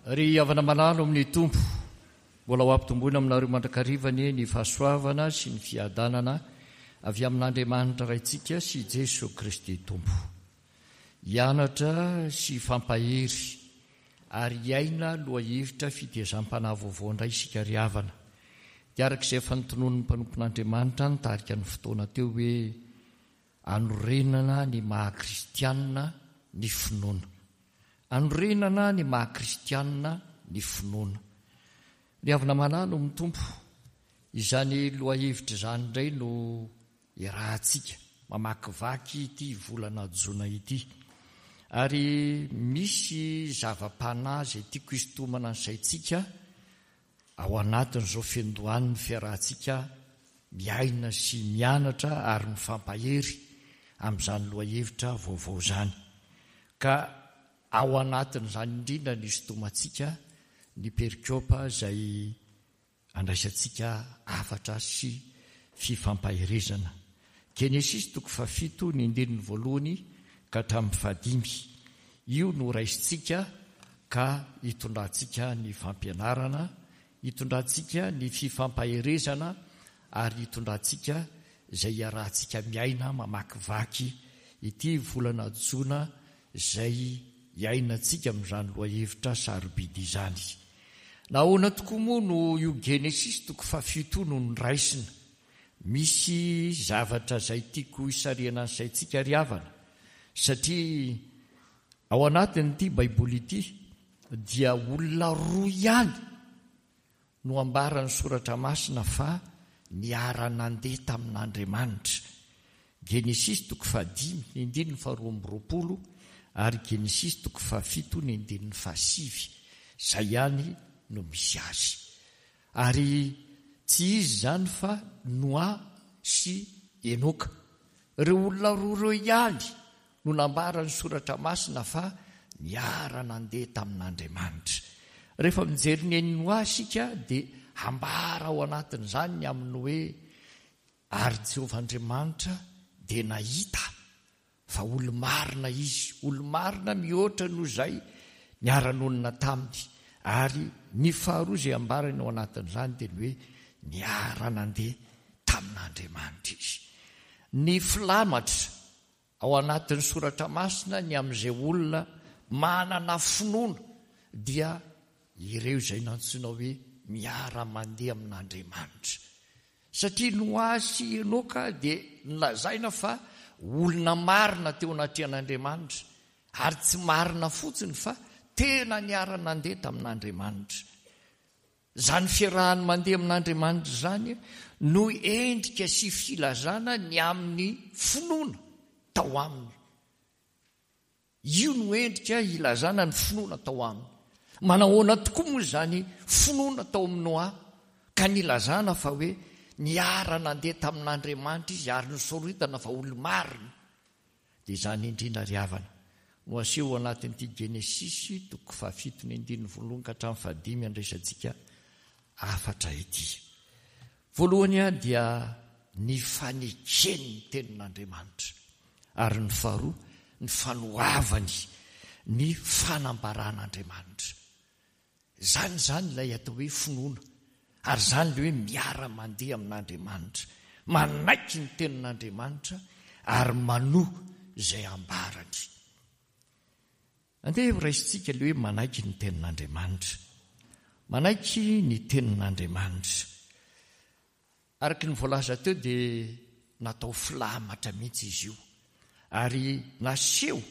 Ry havana malala ao amin'ny Tompo, mbola ho ampitomboina aminareo mandrakariva anie ny fahasoavana sy ny fiadanana avy amin'Andriamanitra Raintsika sy Jeso Kristy Tompo. Hianatra sy hifampahery ary hiaina lohahevitra fitezam-panahy vaovao indray isika ry havana. Dia araka izay efa notononin'ny mpanompon'Andriamanitra nitarika ny fotoana teo hoe Anorenana ny maha kristianina ny finoana. Anorenana ny maha kristianina ny finoana. Ry havana malala ao amin'ny Tompo, izany lohahevitra izany indray no iarahantsika mamakivaky ity volana jona ity. Ary misy zava-panahy izay tiako hisintomana ny saintsika Ao anatin'izao fiandohan'ny fiarahantsika miaina sy mianatra ary mifampahery amin'izany lohahevitra vaovao izany. Ka ao anatin'izany indrindra no isintomantsika ny perikopa izay andraisantsika hafatra sy fifampaherezana. Genesisy toko fahafito ny andininy voalohany ka hatramin'ny fahadimy. Io no raisintsika ka hitondrantsika ny fampianarana, hitondrantsika ny fifampaherezana ary hitondrantsika izay iarahantsika miaina mamakivaky ity volana jona izay iainantsika amin'izany lohahevitra sarobidy izany. Nahoana tokoa moa no io Genesisy toko fahafito io no noraisina? Misy zavatra izay tiako hisarihana ny saintsika ry havana, satria ao anatin'ity Baiboly ity dia olona roa ihany no ambaran'ny Soratra Masina fa niara-nandeha tamin'Andriamanitra. Genesisy toko fahadimy ny andininy faharoa amby roapolo ary Genesisy toko fahafito ny andininy fahasivy. Izay ihany no misy azy. Ary tsy izy izany fa Noa sy Enoka. Ireo olona roa ireo ihany no nambaran'ny Soratra Masina fa niara-nandeha tamin'Andriamanitra. Rehefa mijery ny an'i Noa isika dia ambara ao anatin'izany ny amin'ny hoe ary Jehovah Andriamanitra dia nahita Fa olo-marina izy, olo-marina mihoatra noho izay niara-nonina taminy. Ary ny faharoa izay ambarany ao anatin'izany dia ny hoe niara-nandeha tamin'Andriamanitra izy. Ny filamatra ao anatin'ny soratra masina ny amin'izay olona manana finoana dia ireo izay nantsoina hoe miara-mandeha amin'Andriamanitra. Satria Noa sy Enoka dia nolazaina fa olona marina teo anatrehan'Andriamanitra, ary tsy marina fotsiny fa tena niara-nandeha tamin'Andriamanitra. Izany fiarahany mandeha amin'Andriamanitra izany no endrika sy filazana ny amin'ny finoana tao aminy. Io no endrika ilazana ny finoana tao aminy. Manahoana tokoa moa izany finoana tao amin'i Noa ka nilazana fa hoe niara-nandeha tamin'Andriamanitra izy ary nosoritana fa olo-marina? Dia izany indrindra ry havana no aseho ao anatin'ity Genesisy toko fahafito ny andininy voalohany ka hatramin'ny fahadimy andraisantsika hafatra ity. Voalohany dia ny fanekeny ny tenin'Andriamanitra ary ny faharoa ny fanoavany ny fanambaran'Andriamanitra. Izany izany ilay atao hoe finoana ary izany ilay hoe miara-mandeha amin'Andriamanitra, manaiky ny tenin'Andriamanitra ary manoa izay ambarany. Andeha horaisintsika ilay hoe manaiky ny Tenin'Andriamanitra. Manaiky ny Tenin'Andriamanitra. Araka ny voalaza teo dia natao filamatra mihitsy izy io. Ary naseho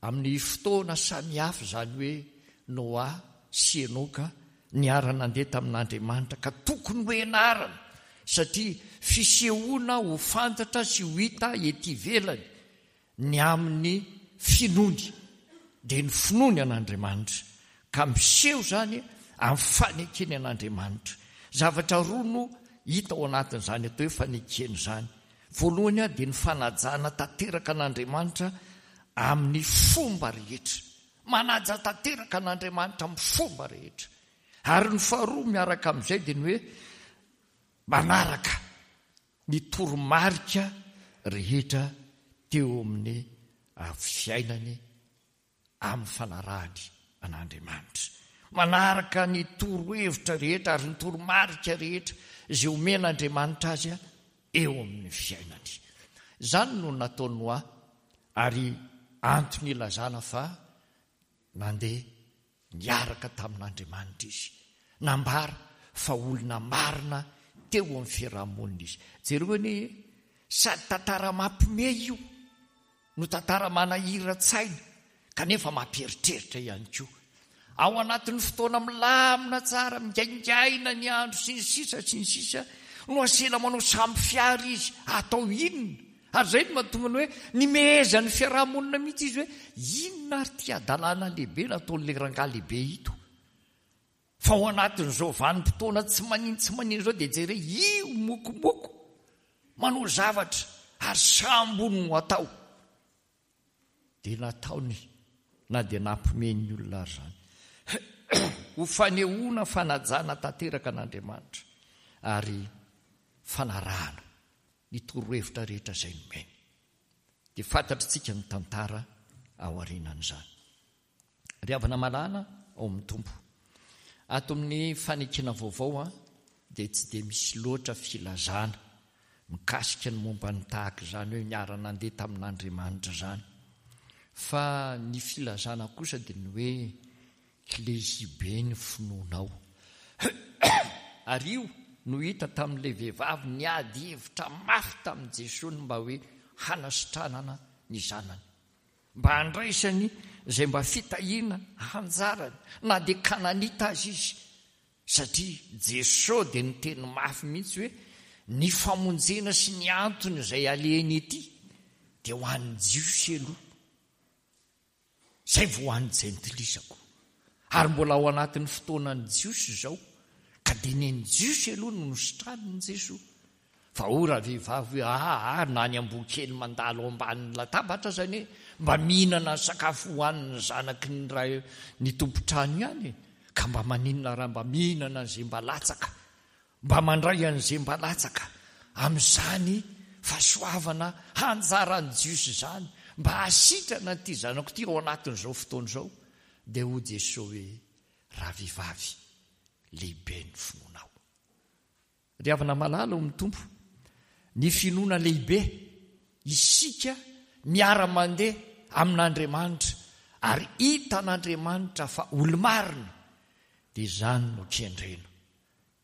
amin'ny fotoana samihafa izany hoe Noa sy Enoka niara-nandeha tamin'Andriamanitra ka tokony hoenarana satria fisehoana ho fantatra sy ho hita ety ivelany ny amin'ny finoany, dia ny finoany an'Andriamanitra, ka miseho izany amin'ny fanekeny an'Andriamanitra. Zavatra roa no hita ao anatin'izany atao hoe fanekena izany. Voalohany dia ny fanajana tanteraka an'Andriamanitra amin'ny fomba rehetra. Manaja tanteraka an'Andriamanitra amin'ny fomba rehetra. Ary ny faharoa miaraka amin'izay dia ny hoe manaraka ny toromarika rehetra teo amin'ny fiainany amin'ny fanarahany an'Andriamanitra. Manaraka ny torohevitra rehetra ary ny toromarika rehetra izay omen'Andriamanitra azy eo amin'ny fiainany. Izany no nataon'i Noa ary antony ilazana fa nandeha niaraka tamin'Andriamanitra izy. Nambara fa olona marina teo amin'ny fiaraha-monina izy. Jereo anie e! Sady tantara mampiomehy io no tantara manahiran-tsaina kanefa mampieritreritra ihany koa. Ao anatin'ny fotoana milamina tsara, migaingaina ny andro sy ny sisa sy ny sisa no asena manao sambo fiara izy, atao inona? Ary izay no mahatonga ny hoe nimehezan'ny fiaraha-monina mihitsy izy hoe inona ary ity hadalana lehibe nataon'ilay rangahy lehibe ito? Fa ao anatin'izao vanim-potoana tsy manin tsy manin izao dia jereo io mokomoko manao zavatra ary sambo no atao. Dia nataony na dia nampiomehy ny olona ary izany. Ho fanehoana fanajana tanteraka an'Andriamanitra ary fanarahana ny torohevitra rehetra izay nomeny. Dia fantatritsika ny tantara aorianan'izany. Ry havana malala ao amin'ny Tompo, ato amin'ny fanekena vaovao dia tsy dia misy loatra filazana mikasika ny momba ny tahaka izany hoe niara-nandeha tamin'Andriamanitra izany. Fa ny filazana kosa dia ny hoe lehibe ny finoanao. Ary io no hita tamin'ilay vehivavy niady hevitra mafy tamin'i Jesoa ny mba hoe hanasitranana ny zanany. Mba handraisany izay mba fitahiana anjarany, na dia Kananita aza izy, satria Jesoa dia niteny mafy mihitsy hoe ny famonjena sy ny antony izay alehany ety dia ho an'ny Jiosy aloha, izay vao ho an'ny Jentilisa koa. Ary mbola ao anatin'ny fotoanan'ny Jiosy izao, ka dia ny an'ny Jiosy aloha no nositranin'i Jesoa. Fa hoy ravehivavy hoe, Aa, na ny amboa kely mandalo ao ambanin'ny latabatra aza anie mba mihinana ny sakafo hohanin'ny zanaky ny ray ny tompon-trano ihany e! Ka mba maninona raha mba mihinana an'izay mba latsaka, mba mandray an'izay mba latsaka amin'izany fahasoavana hanjaran'ny Jiosy izany, mba hahasitrana an'ity zanako ity ao anatin'izao fotoana izao? Dia hoy Jesoa hoe, Ravehivavy, lehibe ny finoanao. Ry havana malala ao amin'ny Tompo, ny finoana lehibe, isika miara-mandeha amin'Andriamanitra ary hitan'Andriamanitra fa olo-marina, dia izany no kendrena.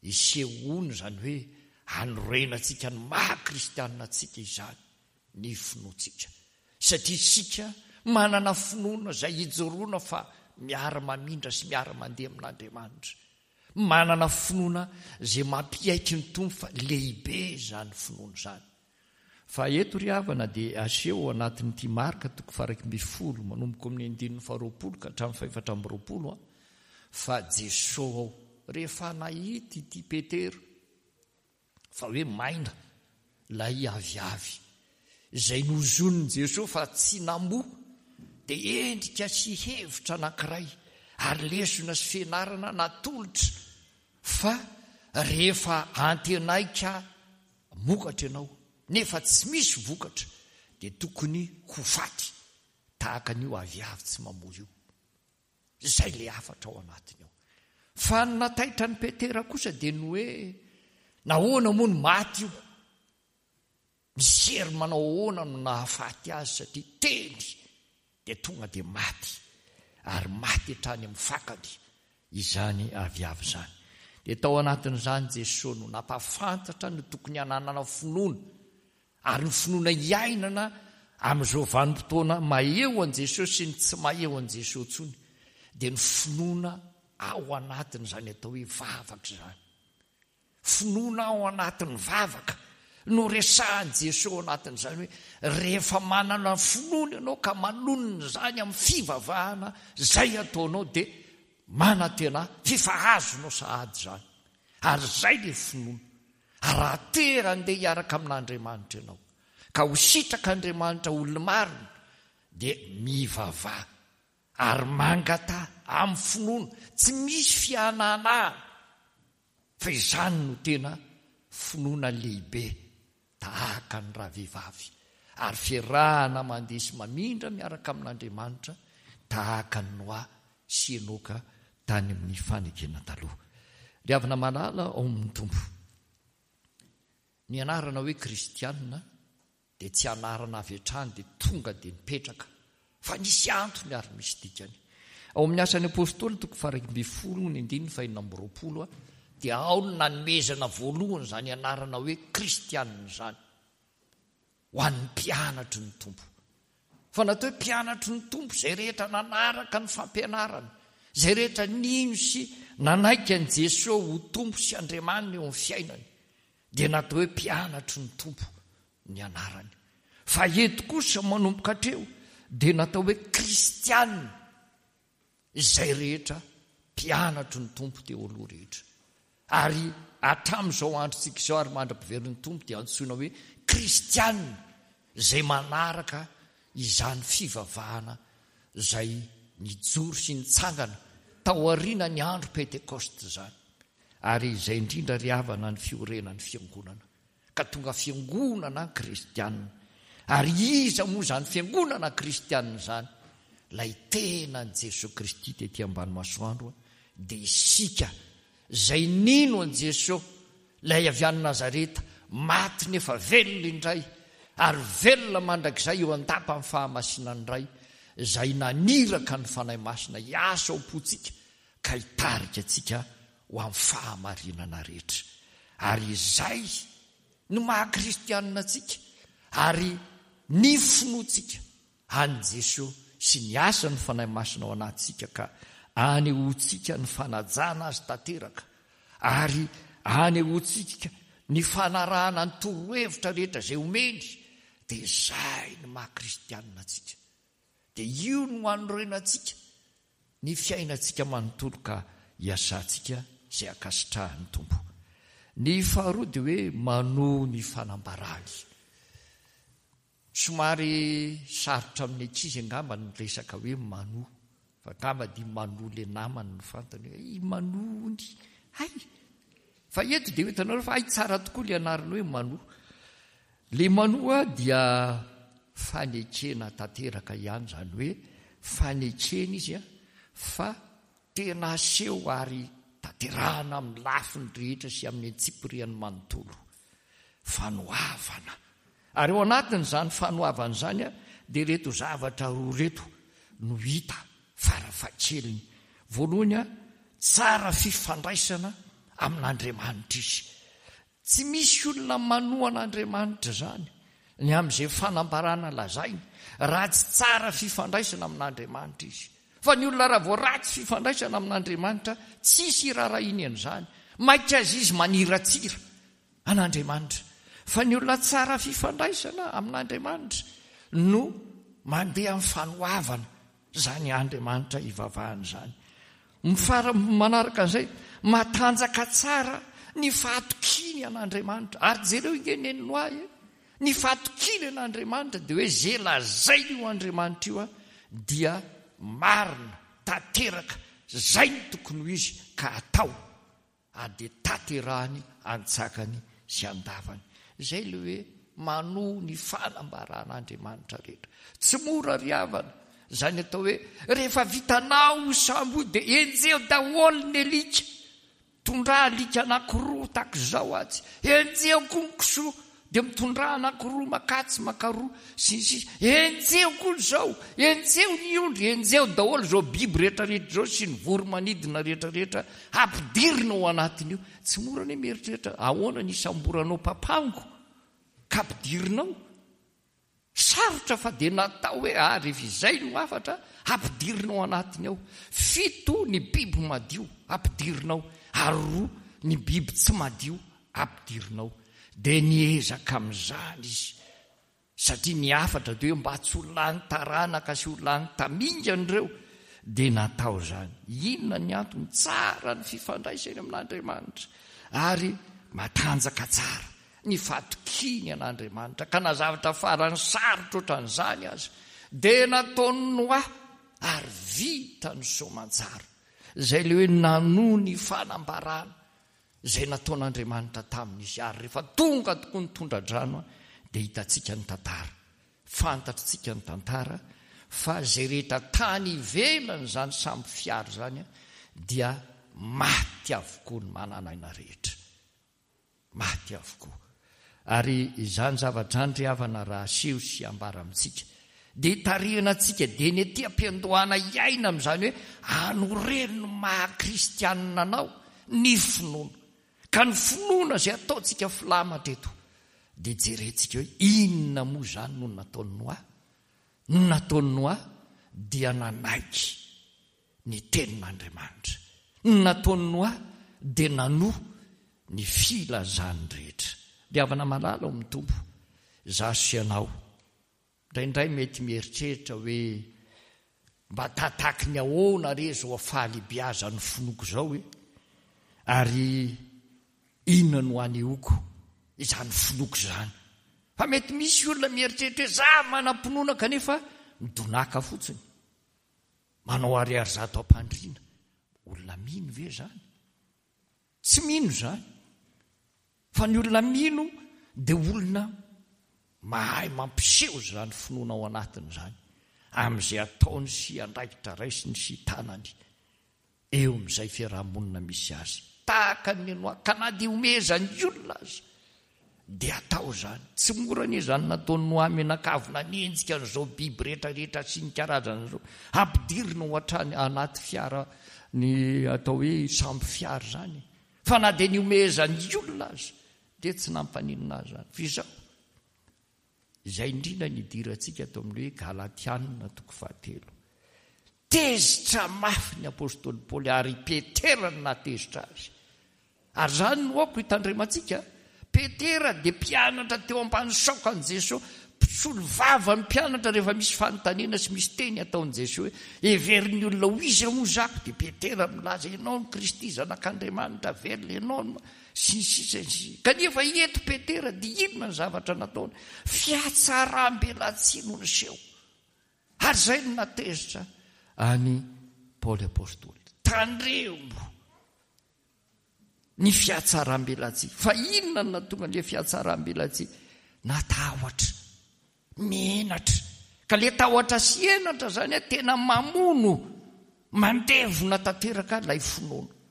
Isehoana izany hoe hanorenantsika ny maha kristianina antsika izany ny finoantsika. Satria isika manana finoana izay ijoroana fa miara-mamindra sy miara-mandeha amin'Andriamanitra. Manana finoana izay mampiaiky ny Tompo fa lehibe izany finoana izany. Fa eto ry havana dia aseho ao anatin'ity Marka toko faha-11 manomboka amin'ny andininy faha-20 ka hatramin'ny faha-24 fa Jesoa ao rehefa nahita ity Petera fa hoe maina ilay aviavy izay nozonin'i Jesoa fa tsy namoa dia endrika sy hevitra anankiray ary lesona sy fianarana natolotra fa rehefa antenaika mokatra ianao nefa tsy misy vokatra dia tokony ho faty tahaka an'io aviavy tsy mamoa io. Izay ilay hafatra ao anatiny ao. Fa ny nataitra an'i Petera kosa dia ny hoe nahoana moa no maty io? Misy hery manao ahoana no nahafaty azy satria teny dia tonga dia maty ary maty hatrany amin'ny fakany izany aviavy izany. Dia tao anatin'izany Jesoa no nampahafantatra ny tokony hananana finoana Ary ny finoana iainana amin'izao vanim-potoana maheho an'i Jesosy sy ny tsy maheho an'i Jesosy intsony dia ny finoana ao anatin'izany atao hoe vavaka izany. Finoana ao anatin'ny vavaka no resahan'i Jesosy ao anatin'izany hoe rehefa manana finoana ianao ka manonona izany amin'ny fivavahana izay ataonao dia manantena f'efa azonao sahady izany. Ary izay ilay finoana. Ary raha te handeha hiaraka amin'Andriamanitra ianao, ka ho sitrak'Andriamanitra olo-marina, dia mivavaha ary mangataha amin'ny finoana, tsy misy fihanahana, fa izany no tena finoana lehibe tahaka ny ravehivavy, ary fiarahana mandeha sy mamindra miaraka amin'Andriamanitra tahaka an'i Noa sy Enoka. tany amin'ny fanekena taloha. Ry havana malala ao amin'ny Tompo, ny anarana hoe kristiana dia tsy anarana avy hatrany dia tonga dia nipetraka fa nisy antony ary misy dikany. Ao amin'ny Asan'ny Apostoly toko faha-11 ny andininy faha-26 dia ao no nanomezana voalohany izany anarana hoe kristiana izany ho an'ny mpianatry ny Tompo. Fa natao hoe mpianatry ny Tompo izay rehetra nanaraka ny fampianarany, izay rehetra nino sy nanaiky an'i Jesoa ho Tompo sy Andriamaniny eo amin'ny fiainany. Dia natao hoe mpianatry ny Tompo ny anarany. Fa eto kosa manomboka hatreo dia natao hoe kristiana izay rehetra mpianatry ny Tompo teo aloha rehetra. Ary hatramin'izao androntsika izao ary mandra-piverin'ny Tompo dia antsoina hoe kristiana izay manaraka izany fivavahana izay nijoro sy nitsangana tao aorianan'ny andro Pentekosta izany. Ary izay indrindra ry havana ny fiorenan'ny fiangonana. Ka tonga fiangonana kristianina. Ary iza moa izany fiangonana kristianina izany? Ilay tenan'i Jesoa Kristy tety ambany masoandro dia isika izay nino an'i Jesoa, ilay avy any Nazareta, maty nefa velona indray, ary velona mandrakizay eo an-dapan'ny fahamasinan'ny Ray, izay naniraka ny Fanahy Masina hiasa ao am-pontsika ka hitarika antsika ho amin'ny fahamarinana rehetra. Ary izay no maha kristianina antsika ary ny finoantsika an'i Jesoa sy ny asan'ny Fanahy Masina ao anatintsika ka anehoantsika ny fanajana Azy tanteraka ary anehoantsika ny fanarahana ny torohevitra rehetra izay omeny dia izay no maha kristianina antsika. Dia io no anorenantsika ny fiainantsika manontolo ka iasantsika izay ankasitrahan'ny Tompo. Ny faharoa dia hoe manohy ny fanambarany. Somary sarotra amin'ny ankizy angamba ny resaka hoe manohy. Fa angamba dia manohy ilay namany no fantany hoe i manohy ony. Hay! Fa eto dia ho hitanareo fa hay tsara tokoa ilay anarana hoe manohy. Ilay manoa dia fanekena tanteraka ihany, izany hoe fanekena izy fa tena aseho ary tanterahana amin'ny lafiny rehetra sy amin'ny antsipiriany manontolo. Fanoavana. Ary ao anatin'izany fanoavana izany dia ireto zavatra roa ireto no hita farafahakeliny. Voalohany, tsara fifandraisana amin'Andriamanitra izy. Tsy misy olona manohana Andriamanitra izany ny amin'izay fanambarana lazainy raha tsy tsara fifandraisana amin'Andriamanitra izy. Fa ny olona raha vao ratsy fifandraisana amin'Andriamanitra, tsisy iraharahiany an'izany. Maika aza izy maniratsira an'Andriamanitra. Fa ny olona tsara fifandraisana amin'Andriamanitra no mandeha amin'ny fanoavana Izany Andriamanitra ivavahana izany. Ny fara manaraka an'izay, matanjaka tsara ny fahatokiany an'Andriamanitra. Ary jereo inge neny Noa e! Ny fahatokiany an'Andriamanitra dia hoe ze lazain'io Andriamanitra io dia marina, tanteraka, zay no tokony ho izy ka atao. ary dia tanterahany an-tsakany sy an-davany. Izay ilay hoe manoa ny fanambaran'Andriamanitra rehetra. Tsy mora ry havana izany atao hoe rehefa vitanao io sambo io dia enjeho daholo ny alika. Tondrà alika anankiroa tahaka izao atsy. Enjeho koa ny kisoa. Dia mitondrà anankiroa makatsy makaroa sy ny sisa. Enjeho koa izao, enjeho ny ondry, enjeho daholo izao biby rehetrarehetra izao sy ny voro-manidina rehetrarehetra ampidirina ao anatin'io. Tsy mora anie mieritreritra ahoana ny hisamboranao papango ka ampidirina ao. Sarotra fa dia natao hoe ah rehefa izay no hafatra ampidirina ao anatiny ao. Fito ny biby madio ampidirina ao ary roa ny biby tsy madio ampidirina ao. Dia niezaka amin'izany izy satria ny hafatra dia hoe mba tsy ho lany taranaka sy ho lany tamingana ireo dia natao izany. Inona ny antony? Tsara ny fifandraisany amin'Andriamanitra ary matanjaka tsara ny fatokiany an'Andriamanitra, ka na zavatra farany sarotra ohatran'izany aza dia nataon'i Noa ary vitany soamantsara. Izay ilay hoe nanoa ny fanambarana izay nataon'Andriamanitra taminy izy, ary rehefa tonga tokoa ny tondra-drano dia hitantsika ny tantara. Fantatritsika ny tantara fa izay rehetra tany ivelany izany sambo fiara izany. dia maty avokoa ny manan'aina rehetra. Maty avokoa. Ary izany zavatra izany ry havana raha aseho sy ambara amintsika dia itarihana antsika dieny ety am-piandohana hiaina amin'izany hoe anoreno ny maha kristianina anao ny finoana. Ka ny finoana izay ataontsika filamatra eto dia jerentsika hoe inona moa izany no nataon'i Noa? Ny nataon'i Noa dia nanaiky ny tenin'Andriamanitra. Ny nataon'i Noa dia nanoa ny filazany rehetra. Ry havana malala ao amin'ny Tompo, izaho sy ianao, indraindray mety mieritreritra hoe, Mba tataky ny ahoana re izao fahalehibeazan'ny finoako izao e? Ary inona no anehoako izany finoako izany? Fa mety misy olona mieritreritra hoe, Izaho manam-pinoana kanefa midonàka fotsiny. Manao ariary zato am-pandriana. Olona mino ve izany? Tsy mino izany. Fa ny olona mino dia olona mahay mampiseho izany finoana ao anatiny izany amin'izay ataony sy andraikitra raisiny sy tanany eo amin'izay fiaraha-monina misy azy. Tahaka ny Noa, ka na dia ihomehezan'ny olona aza dia atao izany. Tsy mora anie izany nataon'i Noa mianakavy nanenjika an'izao biby rehetra rehetra sy ny karazany izao. Ampidirina ao hatrany anaty fiara ny atao hoe sambo fiara izany. Fa na dia nihomehezan'ny olona aza dia tsy nampaninona azy izany. Fa izao, Izay indrindra ny idirantsika ato amin'ny hoe Galatiana toko fahatelo. Tezitra mafy ny apostoly Paoly ary i Petera no nahatezitra azy. Ary izany no aoka hitandremantsika. Petera dia mpianatra teo ambany saokan'i Jesoa, mpisolo vava ny mpianatra rehefa misy fanontaniana sy misy teny ataon'i Jesoa hoe heverin'ny olona ho iza moa zako? Dia Petera milaza ianao no Kristy zanak'Andriamanitra velona, ianao no Sy ny sisa sy ny sisa. Kanefa eto Petera dia inona ny zavatra nataony? Fihatsaram-belatsihy no niseho. Ary izay no nahatezitra an'i Paoly Apostoly. Tandremo ny fihatsaram-belatsihy. Fa inona no nahatonga an'ilay fihatsaram-belatsihy? Natahotra. Menatra. Ka le tahotra sy henatra zany a tena mamono, mandevona tanteraka ilay finoana.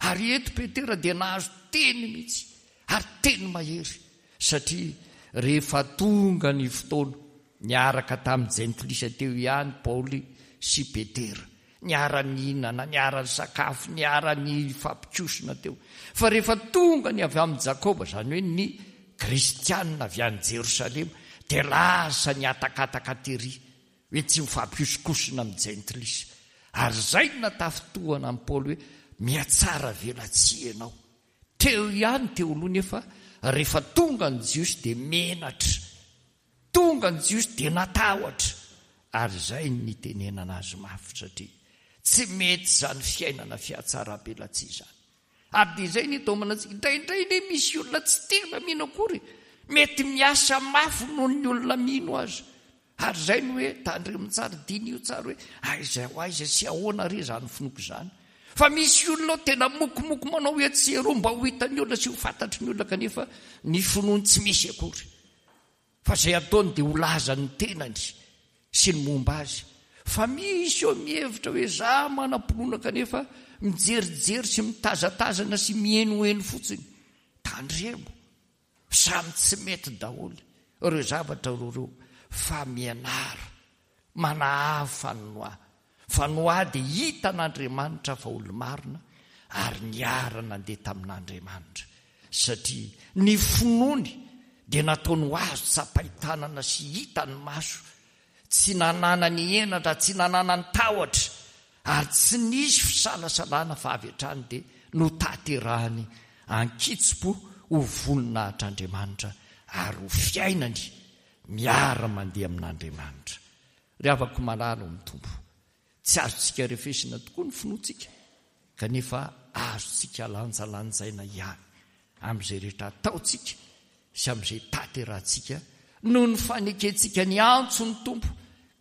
Ary eto Petera dia nahazo teny mihitsy, ary teny mahery, satria rehefa tonga ny fotoana, niaraka tamin'ny jentilisa teo ihany Paoly sy Petera. Niara-nihinana, niara-nisakafo, niara-nifampikosona teo. Fa rehefa tonga ny avy amin'i Jakoba, izany hoe ny Kristianina avy any Jerosalema, dia lasa nihatakataka tery hoe tsy mifampihosokosona amin'ny Jentilisa. Ary izay no natafintohana an'i Paoly hoe, Mihatsara velatsihy ianao. Teo ihany teo aloha nefa rehefa tonga ny Jiosy dia menatra. Tonga ny Jiosy dia natahotra, ary izay no nitenenana azy mafy satria tsy mety izany fiainana fihatsaram-belatsihy izany. Ary dia izay no itaomana antsika. Indraindray anie misy olona tsy tena mino akory, mety miasa mafy noho ny olona mino aza. Ary izay no hoe tandremo tsara, diniho tsara hoe aiza ho aiza sy ahoana re izany finoako izany. Fa misy olona ao tena mokomoko manao etsy sy eroa mba ho hitan'ny olona sy ho fantatry ny olona kanefa ny finoany tsy misy akory. Fa izay ataony dia ho lazan'ny tenany sy ny momba azy. Fa misy eo mihevitra hoe za manam-pinoana kanefa mijerijery sy mitazatazana sy mihenoheno fotsiny. Tandremo, samy tsy mety daholo ireo zavatra roa ireo fa mianara manahafa an'i Noa. Fa Noa dia hitan'Andriamanitra fa olo-marina ary niara-nandeha tamin'Andriamanitra, satria ny finoany dia nataony ho azo tsapain-tanana sy hitan'ny maso, tsy nananany henatra, tsy nananany tahotra, ary tsy nisy fisalasalana fa avy hatrany dia notanterahany an-kitsim-po ho voninahitr'Andriamanitra ary ho fiainany miara-mandeha amin'Andriamanitra. Ry havako malala ao amin'ny Tompo, tsy azontsika refesina tokoa ny finoantsika, kanefa azontsika lanjalanjaina ihany amin'izay rehetra ataontsika sy amin'izay tanterahantsika noho ny fanekentsika ny antson'ny Tompo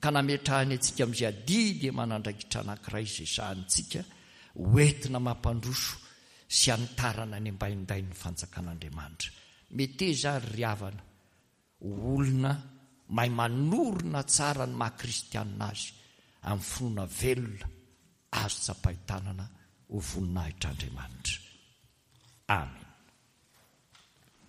ka nametrahany antsika amin'izay adidy aman'andraikitra anankiray izay sahanintsika hoentina mampandroso sy hanitarana ny ambaindain'ny fanjakan'Andriamanitra. Meteza ary ry havana Ho olona mahay manorina tsara ny maha kristianina azy amin'ny finoana velona azo tsapain-tanana. ho voninahitr'Andriamanitra. Amena.